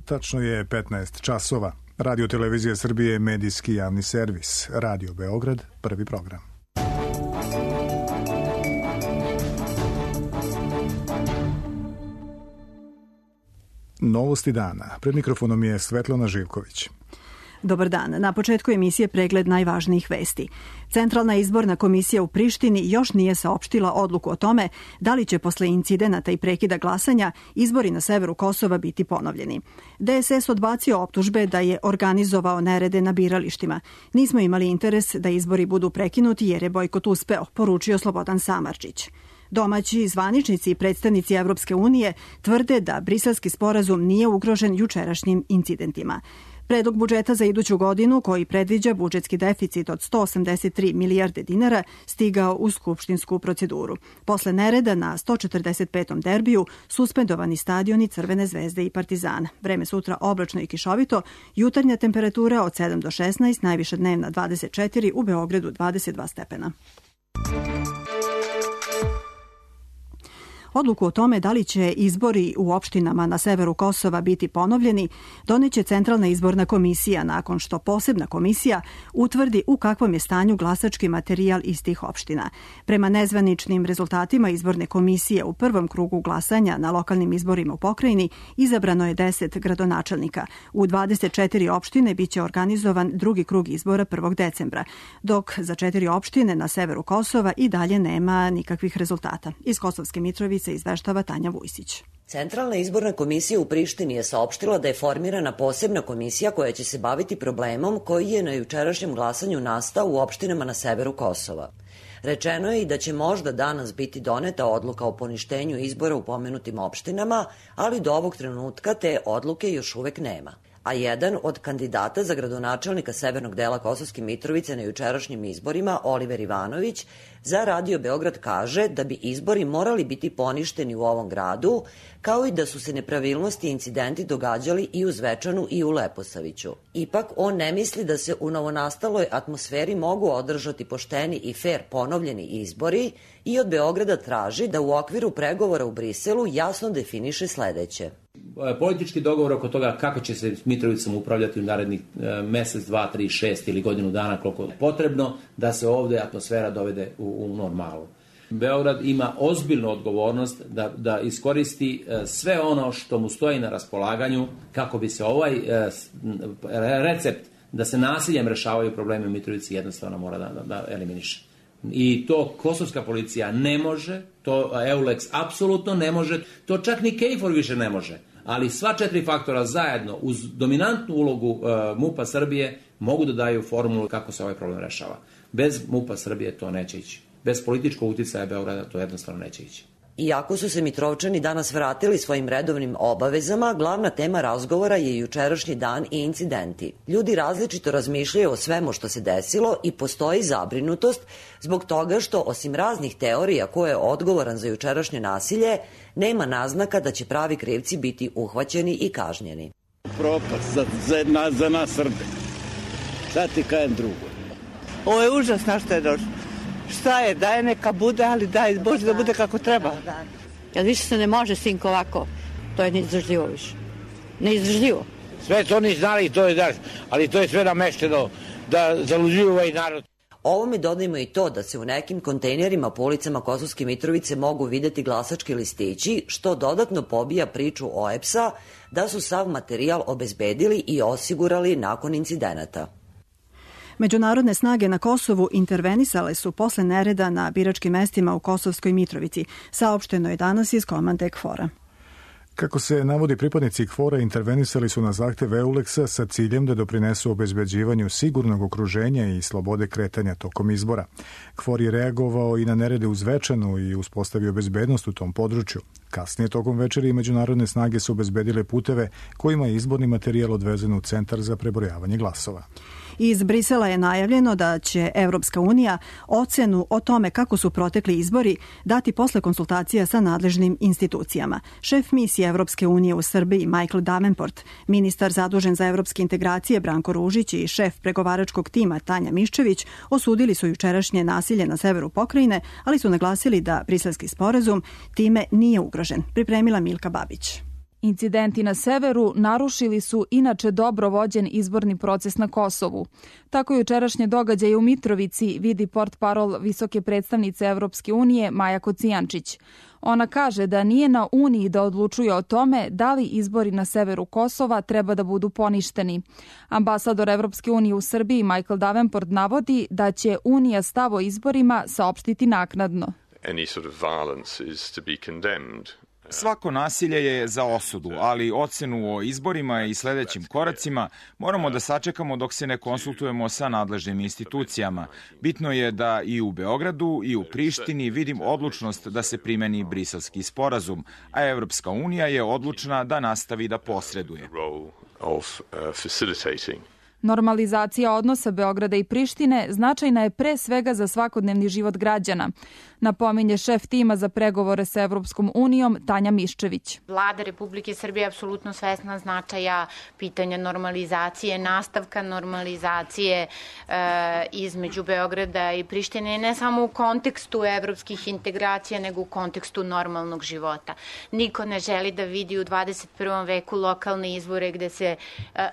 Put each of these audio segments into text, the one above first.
Tačno je 15 časova. Radio Televizija Srbije je medijski javni servis. Radio Beograd, prvi program. Novosti dana. Pred mikrofonom je Svetlana Živković. Dobar dan. Na početku emisije pregled najvažnijih vesti. Centralna izborna komisija u Prištini još nije saopštila odluku o tome da li će posle incidenata i prekida glasanja izbori na severu Kosova biti ponovljeni. DSS odbacio optužbe da je organizovao nerede na biralištima. Nismo imali interes da izbori budu prekinuti jer je bojkot uspeo, poručio Slobodan Samardžić. Domaći zvaničnici i predstavnici Evropske unije tvrde da briselski sporazum nije ugrožen jučerašnjim incidentima. Predlog budžeta za iduću godinu, koji predviđa budžetski deficit od 183 milijarde dinara, stigao u skupštinsku proceduru. Posle nereda na 145. derbiju suspendovani stadioni Crvene zvezde i Partizana. Vreme sutra oblačno i kišovito, jutarnja temperatura od 7 do 16, najviša dnevna 24, u Beogradu 22 stepena. Odluku o tome da li će izbori u opštinama na severu Kosova biti ponovljeni doneće Centralna izborna komisija nakon što posebna komisija utvrdi u kakvom je stanju glasački materijal iz tih opština. Prema nezvaničnim rezultatima izborne komisije u prvom krugu glasanja na lokalnim izborima u pokrajini izabrano je 10 gradonačelnika. U 24 opštine biće organizovan drugi krug izbora 1. decembra, dok za 4 opštine na severu Kosova i dalje nema nikakvih rezultata. Iz Kosovske Mitrovice izveštava Tanja Vujsić. Centralna izborna komisija u Prištini je saopštila da je formirana posebna komisija koja će se baviti problemom koji je na jučerašnjem glasanju nastao u opštinama na severu Kosova. Rečeno je i da će možda danas biti doneta odluka o poništenju izbora u pomenutim opštinama, ali do ovog trenutka te odluke još uvek nema. A jedan od kandidata za gradonačelnika severnog dela Kosovske Mitrovice na jučerašnjim izborima, Oliver Ivanović, za Radio Beograd kaže da bi izbori morali biti poništeni u ovom gradu, kao i da su se nepravilnosti i incidenti događali i u Zvečanu i u Leposaviću. Ipak, on ne misli da se u novonastaloj atmosferi mogu održati pošteni i fer ponovljeni izbori i od Beograda traži da u okviru pregovora u Briselu jasno definiše sledeće. Politički dogovor oko toga kako će se Mitrovicom upravljati u narednih mesec, 2, 3, 6 ili godinu dana, koliko je potrebno da se ovde atmosfera dovede u normalu. Beograd ima ozbiljnu odgovornost da iskoristi sve ono što mu stoji na raspolaganju kako bi se ovaj recept da se nasiljem rešavaju problemi u Mitrovici jednostavno mora da eliminiše. I to kosovska policija ne može, to EULEX apsolutno ne može, to čak ni KFOR više ne može. Ali sva 4 faktora zajedno uz dominantnu ulogu MUP-a Srbije mogu da daju formulu kako se ovaj problem rešava. Bez MUP-a Srbije to neće ići. Bez političkog uticaja Beograda to jednostavno neće ići. Iako su se Mitrovčani danas vratili svojim redovnim obavezama, glavna tema razgovora je jučerašnji dan i incidenti. Ljudi različito razmišljaju o svemu što se desilo i postoji zabrinutost zbog toga što, osim raznih teorija ko je odgovoran za jučerašnje nasilje, nema naznaka da će pravi krivci biti uhvaćeni i kažnjeni. Propast za nas Srbe. Šta ti kajem drugo? Ovo je užas na što je došlo. Šta je, daj neka bude, ali daj Bože da bude kako treba. Jer više se ne može, sinko, ovako. To je neizdržljivo više. Neizdržljivo. Sve su oni znali, to je daš, ali to je sve namešteno da zaluđuju ovaj narod. Ovome dodajmo i to da se u nekim kontejnerima po ulicama Kosovske Mitrovice mogu videti glasački listići, što dodatno pobija priču OEBS-a da su sav materijal obezbedili i osigurali nakon incidenata. Međunarodne snage na Kosovu intervenisale su posle nereda na biračkim mestima u Kosovskoj Mitrovici, saopšteno je danas iz komande KFOR-a. Kako se navodi, pripadnici KFOR-a intervenisali su na zahtev EULEX-a sa ciljem da doprinesu obezbeđivanju sigurnog okruženja i slobode kretanja tokom izbora. KFOR je reagovao i na nerede u Zvečanu i uspostavio bezbednost u tom području. Kasnije tokom večeri međunarodne snage su obezbedile puteve kojima je izborni materijal odvezen u Centar za prebrojavanje glasova. Iz Brisela je najavljeno da će Evropska unija ocenu o tome kako su protekli izbori dati posle konsultacija sa nadležnim institucijama. Šef misije Evropske unije u Srbiji Michael Davenport, ministar zadužen za evropske integracije Branko Ružić i šef pregovaračkog tima Tanja Miščević osudili su jučerašnje nasilje na severu pokrajine, ali su naglasili da briselski sporazum time nije ugrožen. Pripremila Milka Babić. Incidenti na severu narušili su inače dobro vođen izborni proces na Kosovu. Tako jučerašnje događaje u Mitrovici vidi portparol visoke predstavnice Evropske unije Maja Kocijančić. Ona kaže da nije na Uniji da odlučuje o tome da li izbori na severu Kosova treba da budu poništeni. Ambasador Evropske unije u Srbiji Michael Davenport navodi da će Unija stav o izborima saopštiti naknadno. Svako nasilje je za osudu, ali ocenu o izborima i sledećim koracima moramo da sačekamo dok se ne konsultujemo sa nadležnim institucijama. Bitno je da i u Beogradu i u Prištini vidim odlučnost da se primeni Briselski sporazum, a Evropska unija je odlučna da nastavi da posreduje. Normalizacija odnosa Beograda i Prištine značajna je pre svega za svakodnevni život građana, napominje šef tima za pregovore sa Evropskom unijom Tanja Miščević. Vlada Republike Srbije je apsolutno svesna značaja pitanja normalizacije, nastavka normalizacije između Beograda i Prištine, ne samo u kontekstu evropskih integracija, nego u kontekstu normalnog života. Niko ne želi da vidi u 21. veku lokalne izbore gde se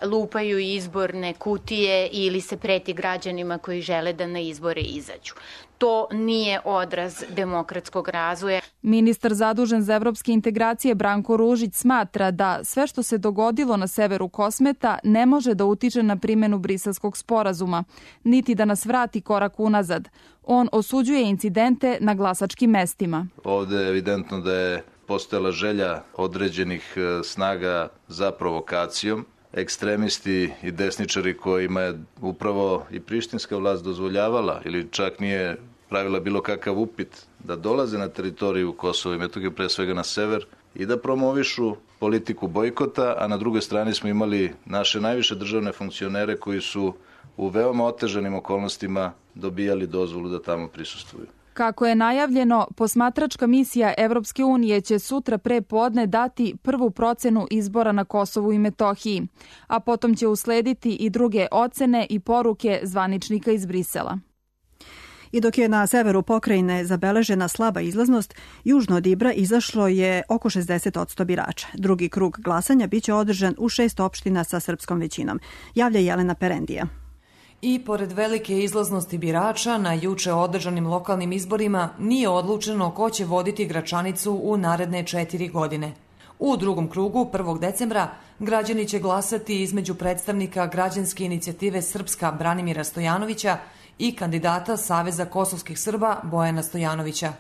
lupaju izborne kutije ili se preti građanima koji žele da na izbore izađu. To nije odraz demokratskog razvoja. Ministar zadužen za evropske integracije Branko Ružić smatra da sve što se dogodilo na severu Kosmeta ne može da utiče na primjenu Briselskog sporazuma, niti da nas vrati korak unazad. On osuđuje incidente na glasačkim mestima. Ovde je evidentno da je postojala želja određenih snaga za provokacijom. Ekstremisti i desničari kojima je upravo i prištinska vlast dozvoljavala ili čak nije pravila bilo kakav upit da dolaze na teritoriju Kosova i Metohije, pre svega na sever, i da promovišu politiku bojkota, a na drugoj strani smo imali naše najviše državne funkcionere koji su u veoma otežanim okolnostima dobijali dozvolu da tamo prisustvuju. Kako je najavljeno, posmatračka misija Evropske unije će sutra pre podne dati prvu procenu izbora na Kosovu i Metohiji, a potom će uslediti i druge ocene i poruke zvaničnika iz Brisela. I dok je na severu pokrajine zabeležena slaba izlaznost, južno od Ibra izašlo je oko 60% birača. Drugi krug glasanja biće održan u 6 opština sa srpskom većinom. Javlja Jelena Perendija. I pored velike izlaznosti birača na juče održanim lokalnim izborima nije odlučeno ko će voditi Gračanicu u naredne 4 godine. U drugom krugu, 1. decembra, građani će glasati između predstavnika građanske inicijative Srpska Branimira Stojanovića i kandidata Saveza kosovskih Srba Bojana Stojanovića.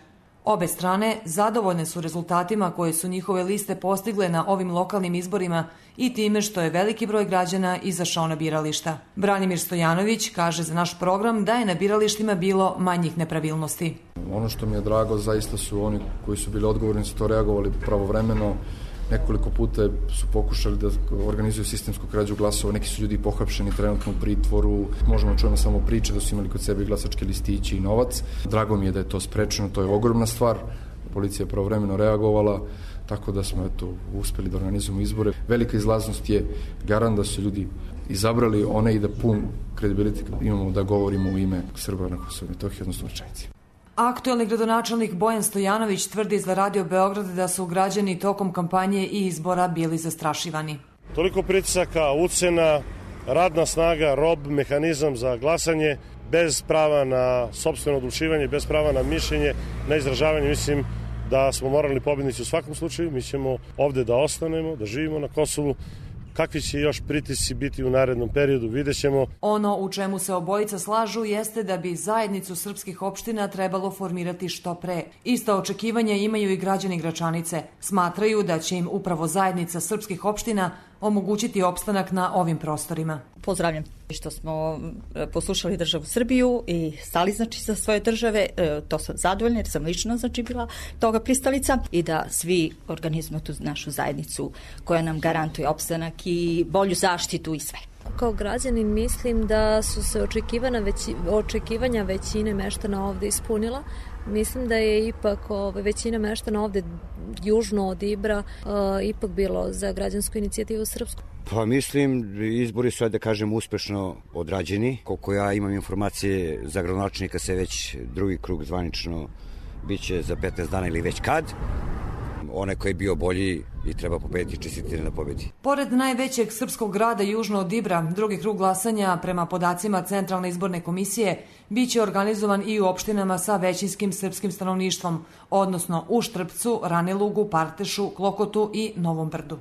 Obe strane zadovoljne su rezultatima koje su njihove liste postigle na ovim lokalnim izborima i time što je veliki broj građana izašao na birališta. Branimir Stojanović kaže za naš program da je na biralištima bilo manjih nepravilnosti. Ono što mi je drago zaista su oni koji su bili odgovorni, su to reagovali pravovremeno. Nekoliko puta su pokušali da organizuju sistemsku krađu glasova, neki su ljudi pohapšeni trenutno u pritvoru, možemo čujemo samo priče da su imali kod sebe glasačke listiće i novac. Drago mi je da je to sprečeno, to je ogromna stvar, policija je pravovremeno reagovala, tako da smo uspeli da organizujemo izbore. Velika izlaznost je garant da su ljudi izabrali one i da pun kredibilitet imamo da govorimo u ime Srba na Kosovu i Metohiji, odnosno Gračanici. Aktuelni gradonačelnik Bojan Stojanović tvrdi za Radio Beograd da su građani tokom kampanje i izbora bili zastrašivani. Toliko pritisaka, ucena, radna snaga, rob, mehanizam za glasanje, bez prava na sopstveno odlučivanje, bez prava na mišljenje, na izražavanje. Mislim da smo moralni pobednici u svakom slučaju. Mi ćemo ovde da ostanemo, da živimo na Kosovu. Kakvi će još pritisci biti u narednom periodu, vidjet ćemo. Ono u čemu se obojica slažu jeste da bi zajednicu srpskih opština trebalo formirati što pre. Ista očekivanja imaju i građani Gračanice. Smatraju da će im upravo zajednica srpskih opština omogućiti opstanak na ovim prostorima. Pozdravljam što smo poslušali državu Srbiju i stali za svoje države, to sam zadovoljna jer sam lično bila toga pristalica i da svi organizujemo tu našu zajednicu koja nam garantuje opstanak i bolju zaštitu i sve. Kao građanin mislim da su se očekivanja većine meštana ovde ispunila. Mislim da je ipak većina meštana ovde južno od Ibra ipak bilo za građansku inicijativu Srpsku. Pa mislim, izbori su, da kažem, uspešno odrađeni. Koliko ja imam informacije, za gradonačelnika se već drugi krug zvanično biće za 15 dana ili već kad. onaj koji je bio bolji i treba pobediti, čestitati na pobedi. Pored najvećeg srpskog grada južno od Ibra, drugi krug glasanja prema podacima Centralne izborne komisije biće organizovan i u opštinama sa većinskim srpskim stanovništvom, odnosno u Štrpcu, Ranilugu, Partešu, Klokotu i Novom Brdu.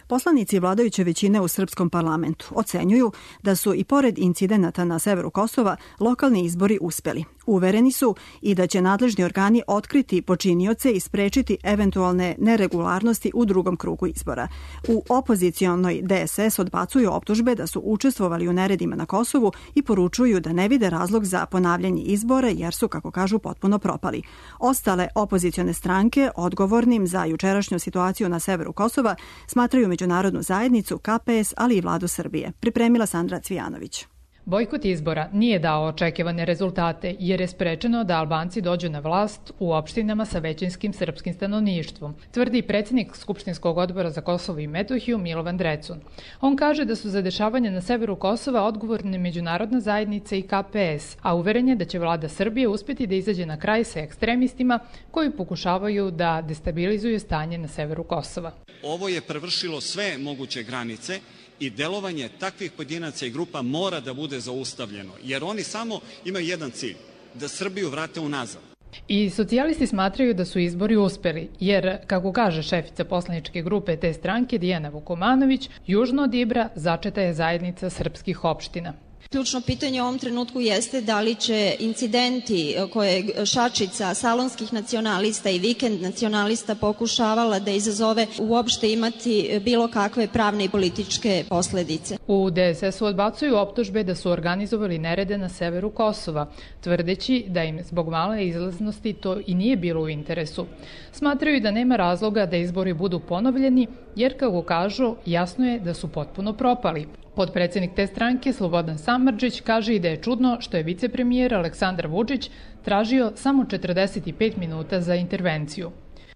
Poslanici vladajuće većine u srpskom parlamentu ocenjuju da su i pored incidenata na severu Kosova lokalni izbori uspeli. Uvereni su i da će nadležni organi otkriti počinioce i sprečiti eventualne neregularnosti u drugom krugu izbora. U opozicionoj DSS odbacuju optužbe da su učestvovali u neredima na Kosovu i poručuju da ne vide razlog za ponavljanje izbora jer su, kako kažu, potpuno propali. Ostale opozicione stranke odgovornim za jučerašnju situaciju na severu Kosova smatraju međunarodnu zajednicu, KPS, ali i vladu Srbije. Pripremila Sandra Cvijanović. Bojkot izbora nije dao očekivane rezultate jer je sprečeno da Albanci dođu na vlast u opštinama sa većinskim srpskim stanovništvom, tvrdi predsjednik Skupštinskog odbora za Kosovo i Metohiju Milovan Drecun. On kaže da su za dešavanje na severu Kosova odgovorne međunarodna zajednica i KPS, a uveren je da će vlada Srbije uspjeti da izađe na kraj sa ekstremistima koji pokušavaju da destabilizuju stanje na severu Kosova. Ovo je prevršilo sve moguće granice i delovanje takvih pojedinaca i grupa mora da bude zaustavljeno, jer oni samo imaju jedan cilj, da Srbiju vrate unazad. I socijalisti smatraju da su izbori uspeli, jer, kako kaže šefica poslaničke grupe te stranke Dijana Vukomanović, južno od Ibra začeta je zajednica srpskih opština. Ključno pitanje u ovom trenutku jeste da li će incidenti koje je šačica salonskih nacionalista i vikend nacionalista pokušavala da izazove uopšte imati bilo kakve pravne i političke posledice. U DSS-u odbacuju optužbe da su organizovali nerede na severu Kosova, tvrdeći da im zbog male izlaznosti to i nije bilo u interesu. Smatraju da nema razloga da izbori budu ponovljeni, jer, kako kažu, jasno je da su potpuno propali. Potpredsjednik te stranke, Slobodan Samardžić, kaže i da je čudno što je vicepremijer Aleksandar Vučić tražio samo 45 minuta za intervenciju.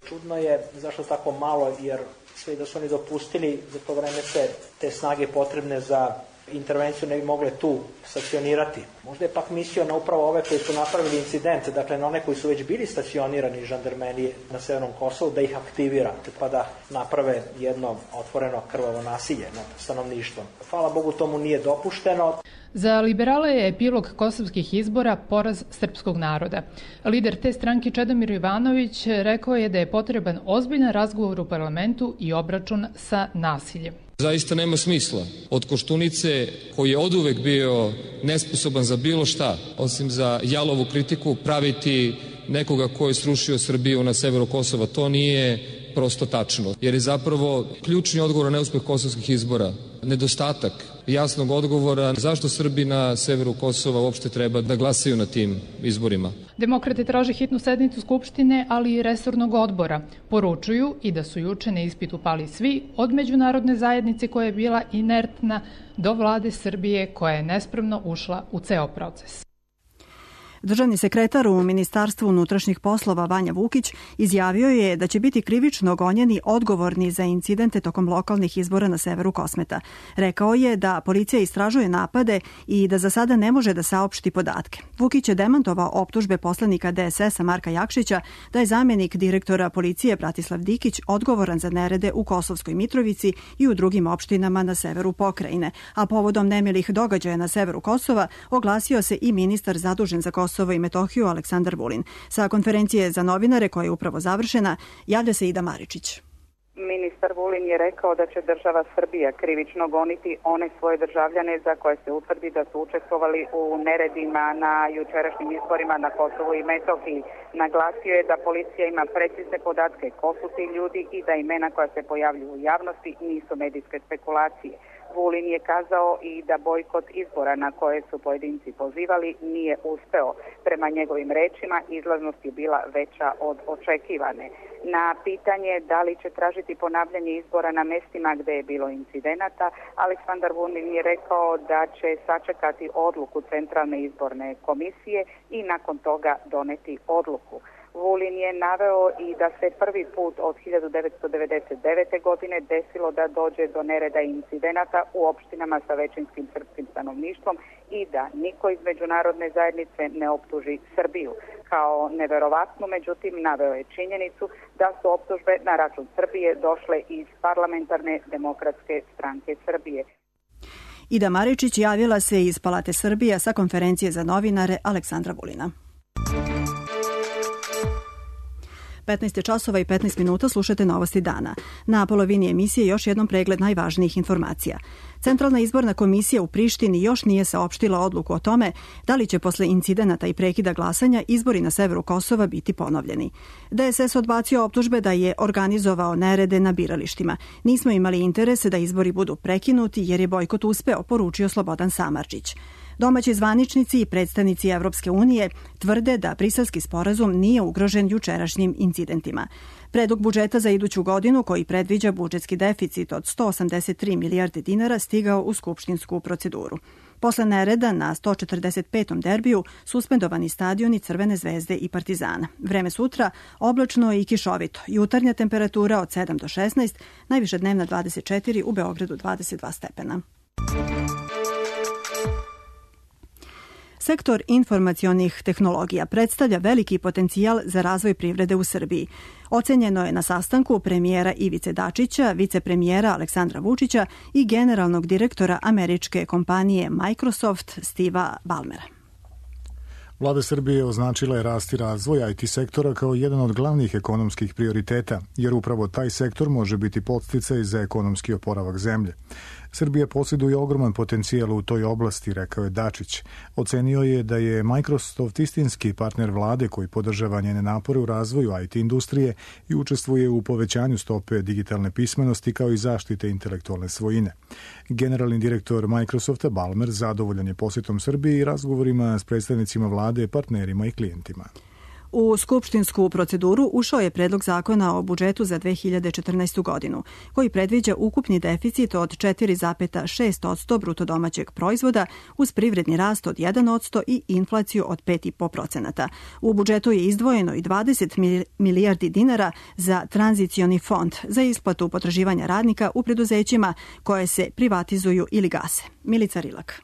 Čudno je zašto tako malo, jer sve da su oni dopustili, za to vreme se te snage potrebne za intervenciju ne bi mogle tu stacionirati. Možda je pak mislio na upravo ove koji su napravili incidente, dakle na one koji su već bili stacionirani žandarmerije na severnom Kosovu, da ih aktivira, pa da naprave jedno otvoreno krvavo nasilje nad stanovništvom. Hvala Bogu, tomu nije dopušteno. Za liberale je epilog kosovskih izbora poraz srpskog naroda. Lider te stranke Čedomir Ivanović rekao je da je potreban ozbiljan razgovor u parlamentu i obračun sa nasiljem. Zaista nema smisla od Koštunice, koji je oduvek bio nesposoban za bilo šta, osim za jalovu kritiku, praviti nekoga ko je srušio Srbiju na severu Kosova. To nije prosto tačno, jer je zapravo ključni odgovor na neuspeh kosovskih izbora nedostatak jasnog odgovora zašto Srbi na severu Kosova uopšte treba da glasaju na tim izborima. Demokrate traže hitnu sednicu Skupštine, ali i resornog odbora. Poručuju i da su juče na ispitu pali svi, od međunarodne zajednice koja je bila inertna do vlade Srbije koja je nespremno ušla u ceo proces. Državni sekretar u Ministarstvu unutrašnjih poslova Vanja Vukić izjavio je da će biti krivično gonjeni odgovorni za incidente tokom lokalnih izbora na severu Kosmeta. Rekao je da policija istražuje napade i da za sada ne može da saopšti podatke. Vukić je demantovao optužbe poslanika DSS-a Marka Jakšića da je zamjenik direktora policije Bratislav Dikić odgovoran za nerede u Kosovskoj Mitrovici i u drugim opštinama na severu pokrajine. A povodom nemilih događaja na severu Kosova oglasio se i ministar zadužen za Kosovo i Metohiju Aleksandar Vulin. Sa konferencije za novinare koja je upravo završena javlja se Ida Maričić. Ministar Vulin je rekao da će država Srbija krivično goniti one svoje državljane za koje se utvrdi da su učestvovali u neredima na jučerašnjim izborima na Kosovu i Metohiji. Naglasio je da policija ima precizne podatke ko su ti ljudi i da imena koja se pojavljuju u javnosti nisu medijske spekulacije. Vulin je kazao i da bojkot izbora na koje su pojedinci pozivali nije uspeo. Prema njegovim rečima izlaznost je bila veća od očekivane. Na pitanje da li će tražiti ponavljanje izbora na mestima gde je bilo incidenata, Aleksandar Vulin je rekao da će sačekati odluku Centralne izborne komisije i nakon toga doneti odluku. Vulin je naveo i da se prvi put od 1999. godine desilo da dođe do nereda i incidenata u opštinama sa većinskim srpskim stanovništvom i da niko iz međunarodne zajednice ne optuži Srbiju. kao neverovatnu, međutim naveo je činjenicu da su optužbe na račun Srbije došle iz Parlamentarne demokratske stranke Srbije. Ida Maričić javila se iz Palate Srbije sa konferencije za novinare Aleksandra Vulina. 15 časova i 15 minuta slušate Novosti dana. Na polovini emisije još jednom pregled najvažnijih informacija. Centralna izborna komisija u Prištini još nije saopštila odluku o tome da li će posle incidenata i prekida glasanja izbori na severu Kosova biti ponovljeni. DSS odbacio optužbe da je organizovao nerede na biralištima. Nismo imali interese da izbori budu prekinuti jer je bojkot uspeo, poručio Slobodan Samardžić. Domaći zvaničnici i predstavnici Evropske unije tvrde da Briselski sporazum nije ugrožen jučerašnjim incidentima. Predlog budžeta za iduću godinu, koji predviđa budžetski deficit od 183 milijarde dinara, stigao u skupštinsku proceduru. Posle nereda na 145. derbiju suspendovani stadioni Crvene zvezde i Partizana. Vreme sutra oblačno i kišovito. Jutarnja temperatura od 7 do 16, najviša dnevna 24, u Beogradu 22 stepena. Sektor informacionih tehnologija predstavlja veliki potencijal za razvoj privrede u Srbiji. Ocenjeno je na sastanku premijera Ivice Dačića, vicepremijera Aleksandra Vučića i generalnog direktora američke kompanije Microsoft Steva Ballmera. Vlada Srbije označila je rast i razvoj IT sektora kao jedan od glavnih ekonomskih prioriteta, jer upravo taj sektor može biti podsticaj za ekonomski oporavak zemlje. Srbija posjeduje ogroman potencijal u toj oblasti, rekao je Dačić. Ocenio je da je Microsoft istinski partner vlade koji podržava njene napore u razvoju IT industrije i učestvuje u povećanju stope digitalne pismenosti kao i zaštite intelektualne svojine. Generalni direktor Microsofta Ballmer zadovoljan je posjetom Srbije i razgovorima s predstavnicima vlade, partnerima i klijentima. U skupštinsku proceduru ušao je predlog zakona o budžetu za 2014. godinu, koji predviđa ukupni deficit od 4,6% bruto domaćeg proizvoda uz privredni rast od 1% i inflaciju od 5,5%. U budžetu je izdvojeno i 20 milijardi dinara za tranzicioni fond za isplatu potraživanja radnika u preduzećima koje se privatizuju ili gase. Milica Rilak.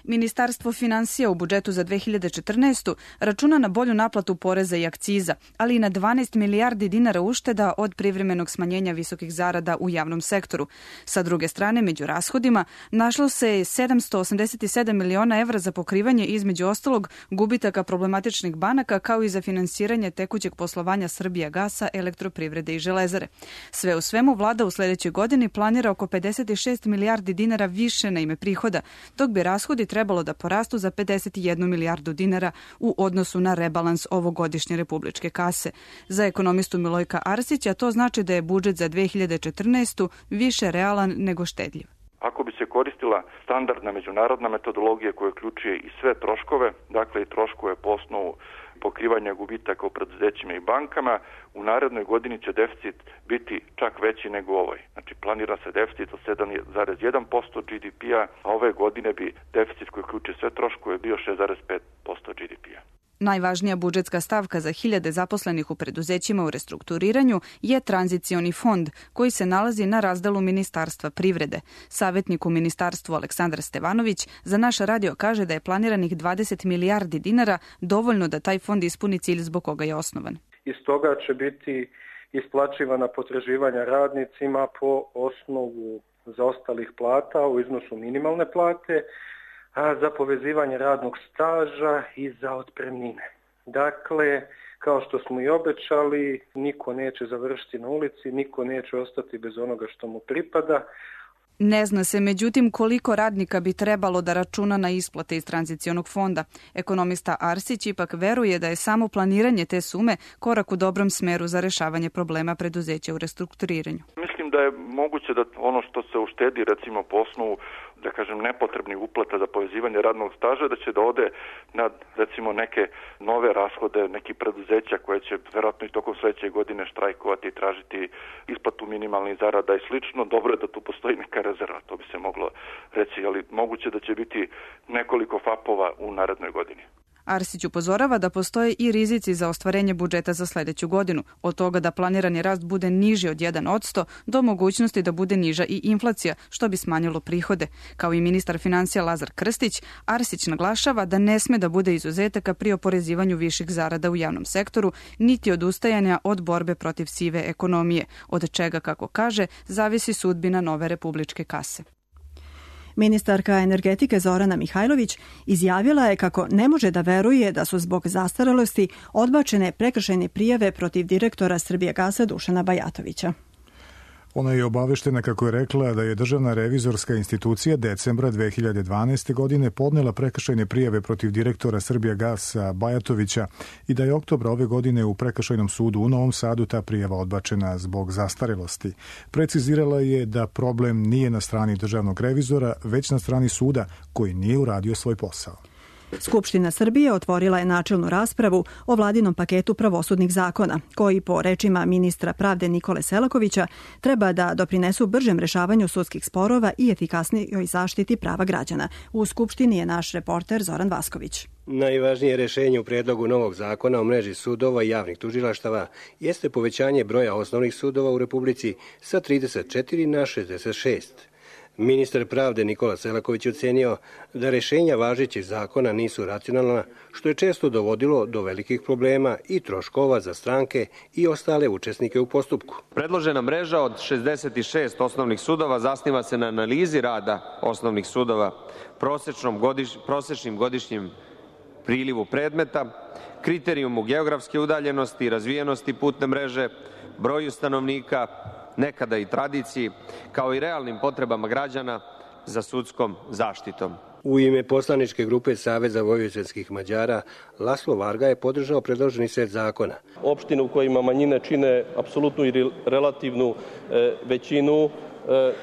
Ministarstvo finansija u budžetu za 2014. računa na bolju naplatu poreza i akciza, ali i na 12 milijardi dinara ušteda od privremenog smanjenja visokih zarada u javnom sektoru. Sa druge strane, među rashodima našlo se 787 miliona evra za pokrivanje između ostalog gubitaka problematičnih banaka kao i za finansiranje tekućeg poslovanja Srbijagasa, Elektroprivrede i Železare. Sve u svemu, vlada u sledećoj godini planira oko 56 milijardi dinara više na ime prihoda, dok bi rashodi trebalo da porastu za 51 milijardu dinara u odnosu na rebalans ovogodišnje republičke kase. Za ekonomistu Milojka Arsića to znači da je budžet za 2014. više realan nego štedljiv. Ako bi se koristila standardna međunarodna metodologija koja uključuje i sve troškove, dakle i troškove po osnovu pokrivanja gubitaka u preduzećima i bankama, u narednoj godini će deficit biti čak veći nego ovoj. Znači planira se deficit od 7,1% GDP-a, a ove godine bi deficit koji uključuje sve troškove bio 6,5% GDP-a. Najvažnija budžetska stavka za hiljade zaposlenih u preduzećima u restrukturiranju je tranzicioni fond, koji se nalazi na razdelu Ministarstva privrede. Savjetnik u ministarstvu Aleksandar Stevanović za naš radio kaže da je planiranih 20 milijardi dinara dovoljno da taj fond ispuni cilj zbog koga je osnovan. Iz toga će biti isplaćivana potraživanja radnicima po osnovu zaostalih plata u iznosu minimalne plate, za povezivanje radnog staža i za otpremnine. Dakle, kao što smo i obećali, niko neće završiti na ulici, niko neće ostati bez onoga što mu pripada. Ne zna se, međutim, koliko radnika bi trebalo da računa na isplate iz tranzicionog fonda. Ekonomista Arsić ipak veruje da je samo planiranje te sume korak u dobrom smeru za rešavanje problema preduzeća u restrukturiranju. Mislim da je moguće da ono što se uštedi, recimo po osnovu, da kažem, nepotrebnih uplata za povezivanje radnog staža, da će da ode na, recimo, neke nove rashode, neki preduzeća koje će verovatno i tokom sledeće godine štrajkovati i tražiti isplatu minimalnih zarada i slično. Dobro je da tu postoji neka rezerva, to bi se moglo reći, ali moguće da će biti nekoliko FAP-ova u narednoj godini. Arsić upozorava da postoje i rizici za ostvarenje budžeta za sledeću godinu, od toga da planirani rast bude niži od 1% do mogućnosti da bude niža i inflacija, što bi smanjilo prihode. Kao i ministar finansija Lazar Krstić, Arsić naglašava da ne sme da bude izuzetaka pri oporezivanju viših zarada u javnom sektoru, niti odustajanja od borbe protiv sive ekonomije, od čega, kako kaže, zavisi sudbina nove republičke kase. Ministarka energetike Zorana Mihajlović izjavila je kako ne može da veruje da su zbog zastarelosti odbačene prekršajne prijave protiv direktora Srbijagasa Dušana Bajatovića. Ona je obaveštena, kako je rekla, da je Državna revizorska institucija decembra 2012. godine podnela prekršajne prijave protiv direktora Srbijagasa Bajatovića i da je oktobra ove godine u Prekršajnom sudu u Novom Sadu ta prijava odbačena zbog zastarelosti. Precizirala je da problem nije na strani državnog revizora, već na strani suda koji nije uradio svoj posao. Skupština Srbije otvorila je načelnu raspravu o vladinom paketu pravosudnih zakona, koji po rečima ministra pravde Nikole Selakovića treba da doprinesu bržem rešavanju sudskih sporova i efikasnijoj zaštiti prava građana. U Skupštini je naš reporter Zoran Vasković. Najvažnije rešenje u predlogu novog zakona o mreži sudova i javnih tužilaštava jeste povećanje broja osnovnih sudova u Republici sa 34 na 66. Ministar pravde Nikola Selaković ocenio da rešenja važećih zakona nisu racionalna, što je često dovodilo do velikih problema i troškova za stranke i ostale učesnike u postupku. Predložena mreža od 66 osnovnih sudova zasniva se na analizi rada osnovnih sudova, prosečnim godišnjim prilivu predmeta, kriterijumu geografske udaljenosti i razvijenosti putne mreže, broju stanovnika, nekada i tradiciji, kao i realnim potrebama građana za sudskom zaštitom. U ime poslaničke grupe Saveza vojvođanskih Mađara, Laslo Varga je podržao predloženi set zakona. Opštine u kojima manjine čine apsolutnu i relativnu većinu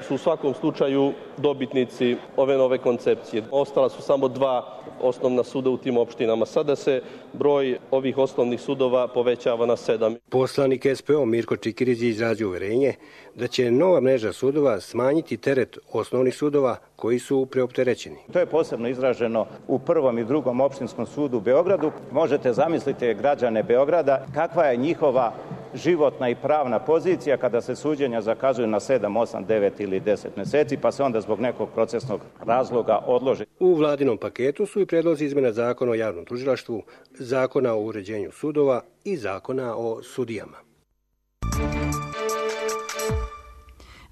su u svakom slučaju dobitnici ove nove koncepcije. Ostala su samo 2 osnovna suda u tim opštinama. Sada se broj ovih osnovnih sudova povećava na 7. Poslanik SPO Mirko Čikirić je izrazio uverenje da će nova mreža sudova smanjiti teret osnovnih sudova koji su preopterećeni. To je posebno izraženo u prvom i drugom opštinskom sudu u Beogradu. Možete zamisliti građane Beograda kakva je njihova životna i pravna pozicija kada se suđenja zakazuju na 7, 8, 9 ili 10 meseci, pa se onda zbog nekog procesnog razloga odlože. U vladinom paketu su i predlozi izmena zakona o javnom tužilaštvu, zakona o uređenju sudova i zakona o sudijama.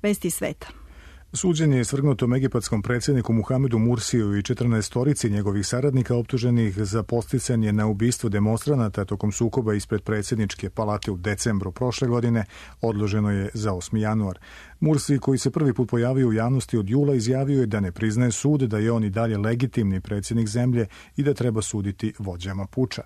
Vesti sveta. Suđenje je svrgnutom egipatskom predsjedniku Muhamedu Mursiju i 14 njegovih saradnika optuženih za podsticanje na ubistvo demonstranata tokom sukoba ispred predsjedničke palate u decembru prošle godine odloženo je za 8. januar. Mursi, koji se prvi put pojavio u javnosti od jula, izjavio je da ne priznaje sud, da je on i dalje legitimni predsjednik zemlje i da treba suditi vođama puča.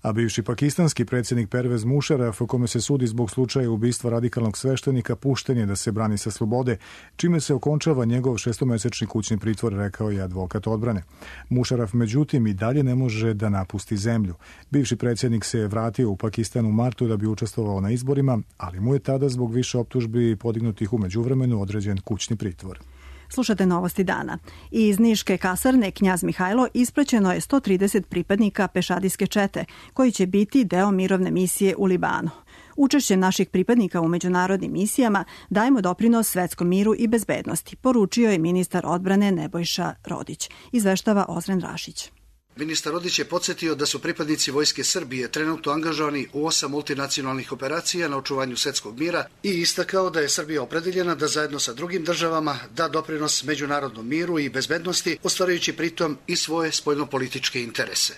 A bivši pakistanski predsjednik Pervez Musharraf, kome se sudi zbog slučaja ubistva radikalnog sveštenika, pušten je da se brani sa slobode, čime se okončava njegov 6-mesečni kućni pritvor, rekao je advokat odbrane. Musharraf, međutim, i dalje ne može da napusti zemlju. Bivši predsjednik se je vratio u Pakistan u martu da bi učestvovao na izborima, ali mu je tada zbog više optužbi podignutih u međuvremenu određen kućni pritvor. Slušate novosti dana. Iz Niške kasarne Knjaz Mihajlo ispraćeno je 130 pripadnika pešadijske čete, koji će biti deo mirovne misije u Libanu. Učešćem naših pripadnika u međunarodnim misijama dajemo doprinos svetskom miru i bezbednosti, poručio je ministar odbrane Nebojša Rodić. Izveštava Ozren Rašić. Ministar Rodić je podsjetio da su pripadnici Vojske Srbije trenutno angažovani u 8 multinacionalnih operacija na očuvanju svjetskog mira i istakao da je Srbija opredeljena da zajedno sa drugim državama da doprinos međunarodnom miru i bezbednosti, ostvarujući pritom i svoje spoljnopolitičke interese.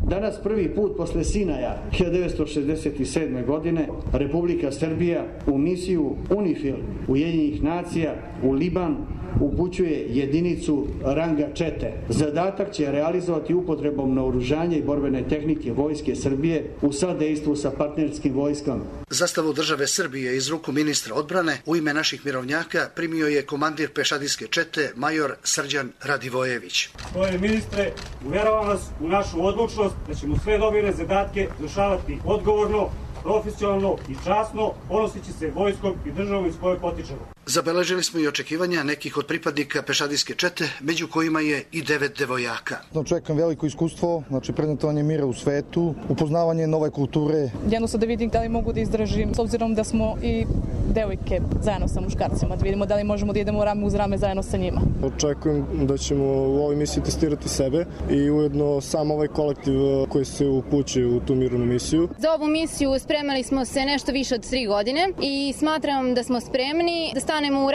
Danas prvi put posle Sinaja 1967. godine Republika Srbija u misiju UNIFIL Ujedinjenih nacija u Liban upućuje jedinicu ranga čete. Zadatak će realizovati upotrebom naoružanja i borbene tehnike Vojske Srbije u sadejstvu sa partnerskim vojskama. Zastavu države Srbije iz ruku ministra odbrane u ime naših mirovnjaka primio je komandir pešadijske čete major Srđan Radivojević. Gospodine ministre, uvjeravam vas u našu odlučnost da ćemo sve dobire zadatke izvršavati odgovorno profesionalno i časno, ponoseći se vojskom i državom iz koje potičemo. Zabeležili smo i očekivanja nekih od pripadnika pešadijske čete, među kojima je i 9 devojaka. Očekujem veliko iskustvo, prezentovanje mira u svetu, upoznavanje nove kulture. Jednostavno da vidim da li mogu da izdržim, s obzirom da smo i devojke zajedno sa muškarcima, da vidimo da li možemo da idemo rame uz rame zajedno sa njima. Očekujem da ćemo u ovoj misiji testirati sebe i ujedno sam ovaj kolektiv koji se upućuje u tu mirovnu misiju. Za ovu misiju spremali smo se nešto više od 3 godine i smatram da smo spremni da stanemo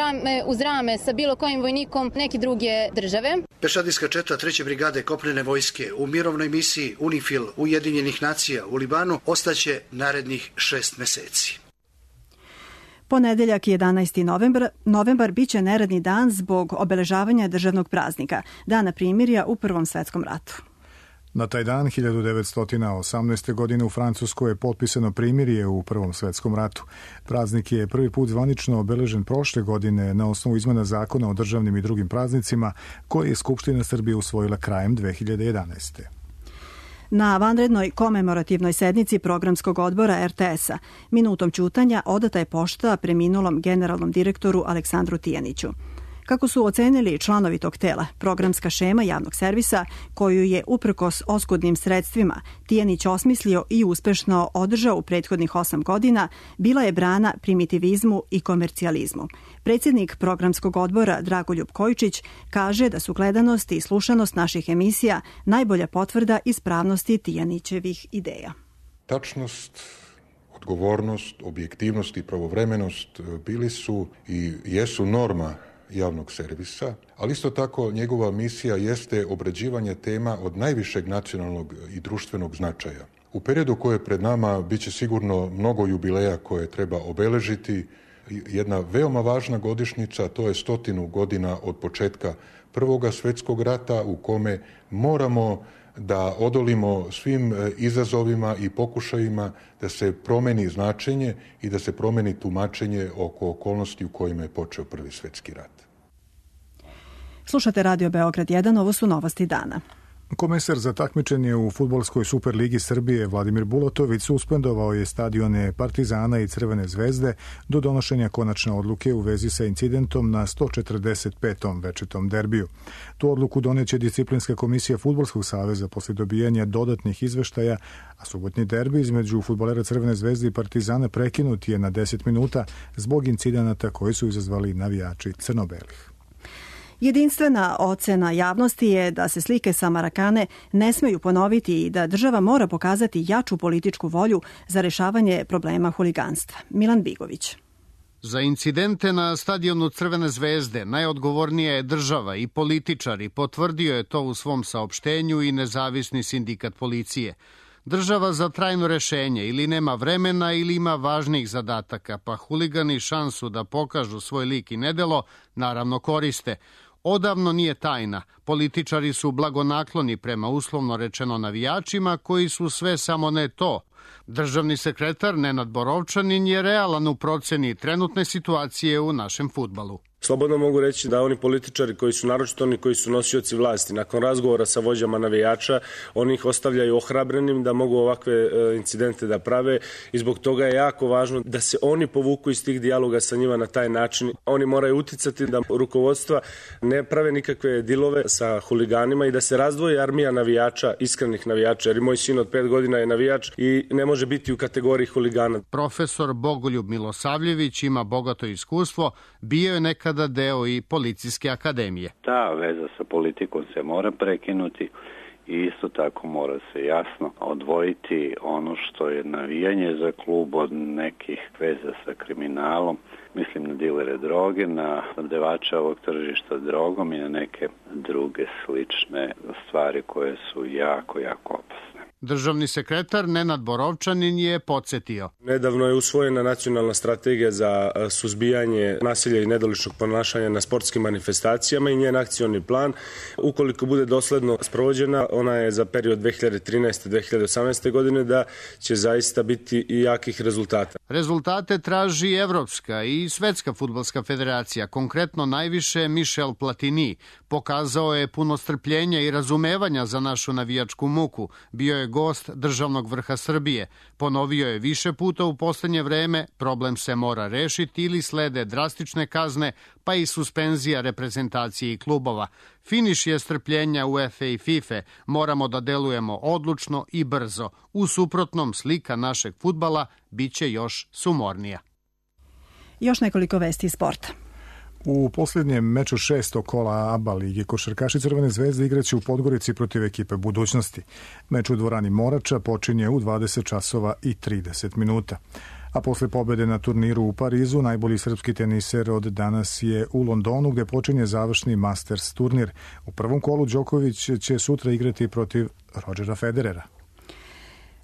uz rame sa bilo kojim vojnikom neke druge države. Pešadijska četa 3. brigade kopnene vojske u mirovnoj misiji UNIFIL Ujedinjenih nacija u Libanu ostaće narednih 6 meseci. Ponedeljak 11. novembar biće neradni dan zbog obeležavanja državnog praznika, Dana primirja u Prvom svetskom ratu. Na taj dan 1918. godine u Francuskoj je potpisano primirje u Prvom svetskom ratu. Praznik je prvi put zvanično obeležen prošle godine na osnovu izmena zakona o državnim i drugim praznicima koje je Skupština Srbije usvojila krajem 2011. Na vanrednoj komemorativnoj sednici programskog odbora RTS-a minutom ćutanja odata je pošta preminulom generalnom direktoru Aleksandru Tijaniću. Kako su ocenili članovi tog tela, programska šema javnog servisa, koju je uprkos oskudnim sredstvima Tijanić osmislio i uspešno održao u prethodnih 8 godina, bila je brana primitivizmu i komercijalizmu. Predsjednik programskog odbora Dragoljub Kojičić kaže da su gledanost i slušanost naših emisija najbolja potvrda ispravnosti Tijanićevih ideja. Tačnost, odgovornost, objektivnost i pravovremenost bili su i jesu norma javnog servisa, ali isto tako njegova misija jeste obrađivanje tema od najvišeg nacionalnog i društvenog značaja. U periodu koje je pred nama biće sigurno mnogo jubileja koje treba obeležiti. Jedna veoma važna godišnjica, to je 100 godina od početka Prvog svjetskog rata u kome moramo da odolimo svim izazovima i pokušajima da se promeni značenje i da se promeni tumačenje oko okolnosti u kojima je počeo Prvi svjetski rat. Slušate Radio Beograd 1, ovo su novosti dana. Komesar za takmičenje u fudbalskoj Superligi Srbije Vladimir Bulatović suspendovao je stadione Partizana i Crvene zvezde do donošenja konačne odluke u vezi sa incidentom na 145. večitom derbiju. Tu odluku doneće disciplinska komisija Fudbalskog saveza posle dobijanja dodatnih izveštaja, a subotnji derbi između fudbalera Crvene zvezde i Partizana prekinut je na 10 minuta zbog incidenata koji su izazvali navijači crno-belih. Jedinstvena ocena javnosti je da se slike sa Marakane ne smeju ponoviti i da država mora pokazati jaču političku volju za rešavanje problema huliganstva. Milan Bigović. Za incidente na stadionu Crvene zvezde najodgovornija je država i političari, potvrdio je to u svom saopštenju i nezavisni sindikat policije. Država za trajno rešenje ili nema vremena ili ima važnijih zadataka, pa huligani šansu da pokažu svoj lik i nedelo naravno koriste. Odavno nije tajna. Političari su blagonakloni prema uslovno rečeno navijačima koji su sve samo ne to. Državni sekretar Nenad Borovčanin je realan u proceni trenutne situacije u našem fudbalu. Slobodno mogu reći da oni političari koji su, naročito oni koji su nosioci vlasti, nakon razgovora sa vođama navijača, oni ih ostavljaju ohrabrenim da mogu ovakve incidente da prave i zbog toga je jako važno da se oni povuku iz tih dijaloga sa njima na taj način. Oni moraju uticati da rukovodstva ne prave nikakve dilove sa huliganima i da se razdvoji armija navijača, iskrenih navijača, jer i moj sin od 5 godina je navijač i ne može biti u kategoriji huligana. Profesor Bogoljub Milosavljević ima bogato iskustvo, bio je nekada deo i policijske akademije. Ta veza sa politikom se mora prekinuti i isto tako mora se jasno odvojiti ono što je navijanje za klub od nekih veza sa kriminalom. Mislim na dilere droge, na snabdevača ovog tržišta drogom i na neke druge slične stvari koje su jako, jako opasne. Državni sekretar Nenad Borovčanin je podsjetio. Nedavno je usvojena nacionalna strategija za suzbijanje nasilja i nedoličnog ponašanja na sportskim manifestacijama i njen akcioni plan. Ukoliko bude dosledno sprovođena, ona je za period 2013-2018. godine da će zaista biti i jakih rezultata. Rezultate traži Evropska i Svetska fudbalska federacija, konkretno najviše Michel Platini. Pokazao je puno strpljenja i razumevanja za našu navijačku muku. Bio je gost državnog vrha Srbije. Ponovio je više puta u poslednje vreme, problem se mora rešiti ili slede drastične kazne, pa i suspenzija reprezentacije i klubova. Finiš je strpljenja UEFA i FIFA. Moramo da delujemo odlučno i brzo. U suprotnom, slika našeg fudbala biće još sumornija. Još nekoliko vesti iz sporta. U posljednjem meču 6. kola ABA lige košarkaši Crvene zvezde igraće u Podgorici protiv ekipe Budućnosti. Meč u dvorani Morača počinje u 20 časova i 30 minuta. A posle pobede na turniru u Parizu, najbolji srpski teniser od danas je u Londonu gde počinje završni Masters turnir. U prvom kolu Đoković će sutra igrati protiv Rodgera Federera.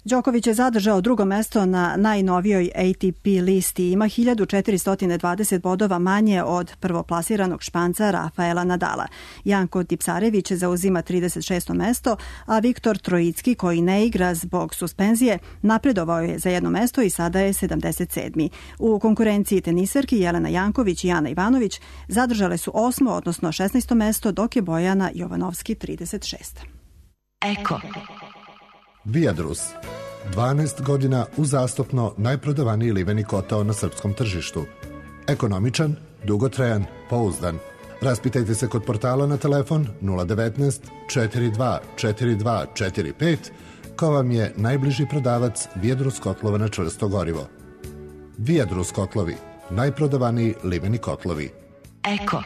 Đoković je zadržao drugo mesto na najnovijoj ATP listi. Ima 1420 bodova manje od prvoplasiranog Španca Rafaela Nadala. Janko Tipsarević zauzima 36. mesto, a Viktor Trojicki, koji ne igra zbog suspenzije, napredovao je za jedno mesto i sada je 77. U konkurenciji teniserki Jelena Janković i Ana Ivanović zadržale su 8. odnosno 16. mesto, dok je Bojana Jovanovski 36. Eko. Viadrus. 12 godina uzastopno najprodavaniji liveni kotao na srpskom tržištu. Ekonomičan, dugotrajan, pouzdan. Raspitajte se kod portala na telefon 019 42 42 45 ko vam je najbliži prodavac Viadrus kotlova na čvrsto gorivo. Viadrus kotlovi, najprodavaniji liveni kotlovi. Eko.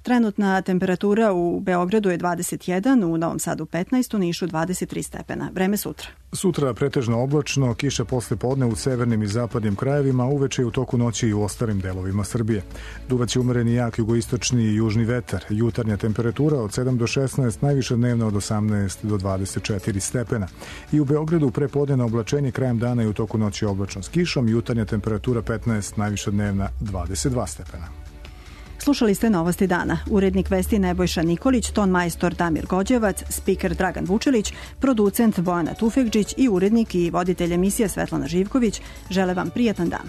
Trenutna temperatura u Beogradu je 21, u Novom Sadu 15, u Nišu 23 stepena. Vreme sutra. Sutra pretežno oblačno, kiša posle podne u severnim i zapadnim krajevima, uveče i u toku noći i u ostalim delovima Srbije. Duvaće umereni jak jugoistočni i južni vetar. Jutarnja temperatura od 7 do 16, najviša dnevna od 18 do 24 stepena. I u Beogradu prepodnevno oblačenje, krajem dana i u toku noći oblačno s kišom, jutarnja temperatura 15, najviša dnevna 22 stepena. Slušali ste Novosti dana. Urednik vesti Nebojša Nikolić, ton majstor Damir Gođevac, spiker Dragan Vučelić, producent Bojana Tufekđić i urednik i voditelj emisije Svetlana Živković žele vam prijatan dan.